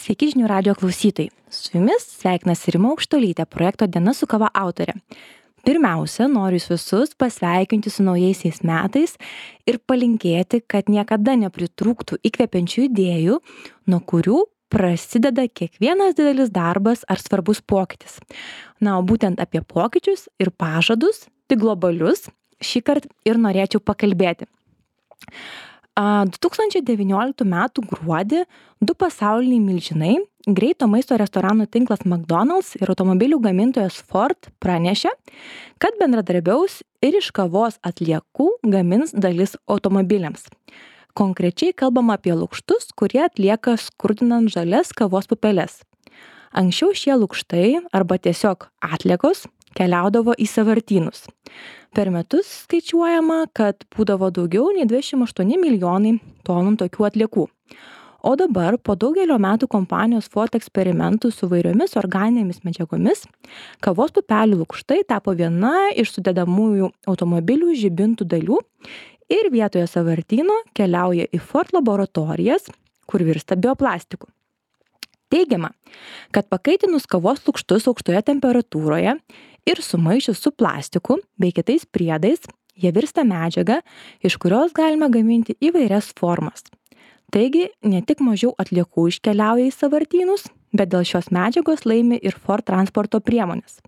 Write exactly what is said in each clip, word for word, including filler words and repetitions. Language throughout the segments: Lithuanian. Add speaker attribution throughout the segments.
Speaker 1: Sveiki žinių radijo klausytojai. Su jumis sveikinasi Rima Aukštuolytė, projekto Diena su kava autorė. Pirmiausia, noriu jūs visus pasveikinti su naujaisiais metais ir palinkėti, kad niekada nepritrūktų įkvepiančių idėjų, nuo kurių prasideda kiekvienas didelis darbas ar svarbus pokytis. Na, o būtent apie pokyčius ir pažadus, tik globalius, šįkart ir norėčiau pakalbėti. du tūkstančiai devynioliktų metų gruodį du pasauliniai milžinai, greito maisto restoranų tinklas McDonald's ir automobilių gamintojas Ford pranešė, kad bendradarbiaus ir iš kavos atliekų gamins dalis automobiliams. Konkrečiai kalbama apie lukštus, kurie atlieka skurdinant žalias kavos pupeles. Anksčiau šie lukštai arba tiesiog atliekos keliaudavo į sąvartynus. Per metus skaičiuojama, kad būdavo daugiau nei dvidešimt aštuoni milijonai tonų tokių atliekų. O dabar, po daugelio metų kompanijos Ford eksperimentų su vairiomis organinėmis medžiagomis, kavos pupelių lukštai tapo viena iš sudedamųjų automobilių žibintų dalių ir vietoje sąvartyno keliauja į Ford laboratorijas, kur virsta bioplastiku. Teigiama, kad pakaitinus kavos lukštus aukštoje temperatūroje ir sumaišius su plastiku bei kitais priedais, jie virsta medžiaga, iš kurios galima gaminti įvairias formas. Taigi, ne tik mažiau atliekų iškeliauja į sąvartynus, bet dėl šios medžiagos laimi ir Ford transporto priemonės.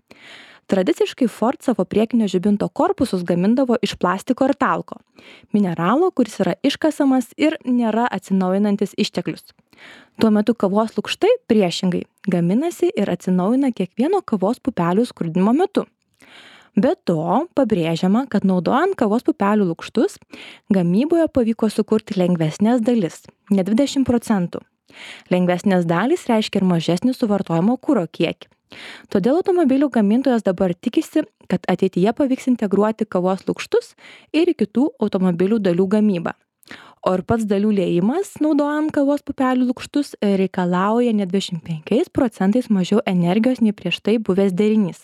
Speaker 1: Tradiciškai Ford savo priekinio žibinto korpusus gamindavo iš plastiko ir talko, mineralo, kuris yra iškasamas ir nėra atsinaujinantis išteklius. Tuo metu kavos lukštai priešingai gaminasi ir atsinaujina kiekvieno kavos pupelių skurdinimo metu. Be to, pabrėžiama, kad naudojant kavos pupelių lukštus, gamyboje pavyko sukurti lengvesnės dalis, ne dvidešimt procentų. Lengvesnės dalys reiškia ir mažesnį suvartojimo kuro kiekį. Todėl automobilių gamintojas dabar tikisi, kad ateityje pavyks integruoti kavos lukštus ir į kitų automobilių dalių gamybą. O ir pats dalių liejimas, naudojant kavos pupelių lukštus, reikalauja net dvidešimt penkiais procentais mažiau energijos nei prieš tai buvęs derinys.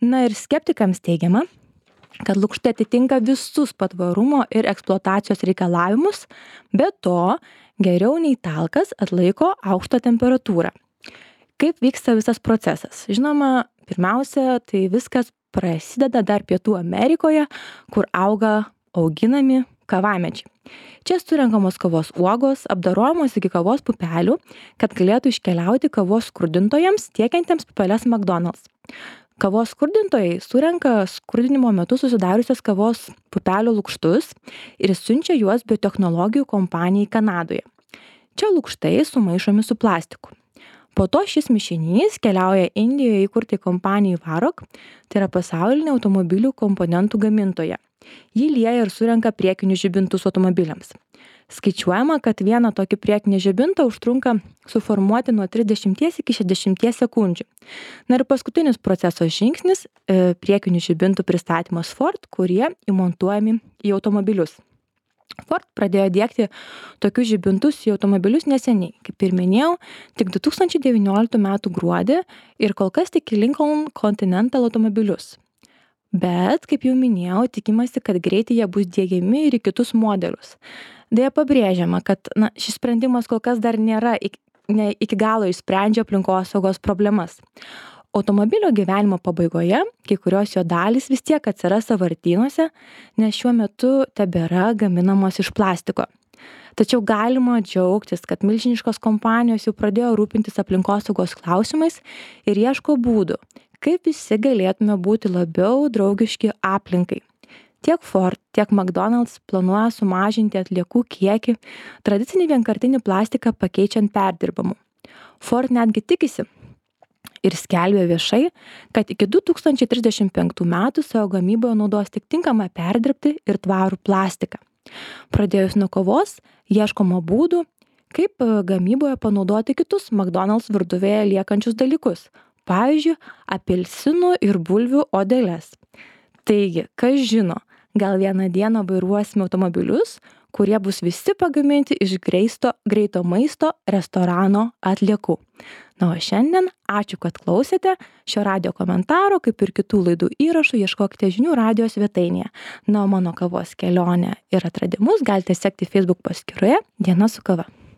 Speaker 1: Na ir skeptikams teigiama, kad lukštai atitinka visus patvarumo ir eksploatacijos reikalavimus, be to geriau nei talkas atlaiko aukštą temperatūrą. Kaip vyksta visas procesas? Žinoma, pirmiausia, tai viskas prasideda dar Pietų Amerikoje, kur auga auginami kavamedžiai. Čia surenkamos kavos uogos, apdorojamos iki kavos pupelių, kad galėtų iškeliauti kavos skurdintojams tiekiantiems pupeles McDonald's. Kavos skurdintojai surenka skurdinimo metu susidariusias kavos pupelių lukštus ir siunčia juos biotechnologijų kompanijai Kanadoje. Čia lukštai sumaišomi su plastiku. Po to šis mišinys keliauja Indijoje įkurtai kompanijai Varroc, tai yra pasaulinė automobilių komponentų gamintoja. Ji lieja ir surenka priekinius žibintus automobiliams. Skaičiuojama, kad vieną tokį priekinį žibintą užtrunka suformuoti nuo trisdešimties iki šešiasdešimties sekundžių. Na ir paskutinis proceso žingsnis e, - priekinių žibintų pristatymas Ford, kurie įmontuojami į automobilius. Ford pradėjo diegti tokius žibintus į automobilius neseniai, kaip ir minėjau, tik du tūkstančiai devynioliktų metų gruodį ir kol kas tik į Lincoln Continental automobilius. Bet, kaip jau minėjau, tikimasi, kad greitai jie bus diegiami ir į kitus modelius. Deja pabrėžiama, kad na, šis sprendimas kol kas dar nėra iki, ne, iki galo išsprendžia aplinkosaugos problemas. Automobilio gyvenimo pabaigoje kai kurios jo dalys vis tiek atsiras sąvartynuose, nes šiuo metu tebėra gaminamos iš plastiko. Tačiau galima džiaugtis, kad milžiniškos kompanijos jau pradėjo rūpintis aplinkosaugos klausimais ir ieško būdų, kaip visi galėtume būti labiau draugiški aplinkai. Tiek Ford, tiek McDonald's planuoja sumažinti atliekų kiekį, tradicinį vienkartinį plastiką pakeičiant perdirbamu. Ford netgi tikisi ir skelbia viešai, kad iki du tūkstančiai trisdešimt penktų metų savo gamyboje naudos tik tinkamą perdirbti ir tvarų plastiką. Pradėjus nuo kavos, ieškoma būdų, kaip gamyboje panaudoti kitus McDonald's virtuvėje liekančius dalykus, pavyzdžiui, apelsinų ir bulvių odeles. Taigi, kas žino, gal vieną dieną vairuosime automobilius, kurie bus visi pagaminti iš greisto, greito maisto restorano atliekų. Na, o šiandien ačiū, kad klausėte. Šio radio komentaro, kaip ir kitų laidų įrašų, ieškokite žinių radijo svetainėje. Na, o mano kavos kelionę ir atradimus galite sekti Facebook paskyroje Diena su kava.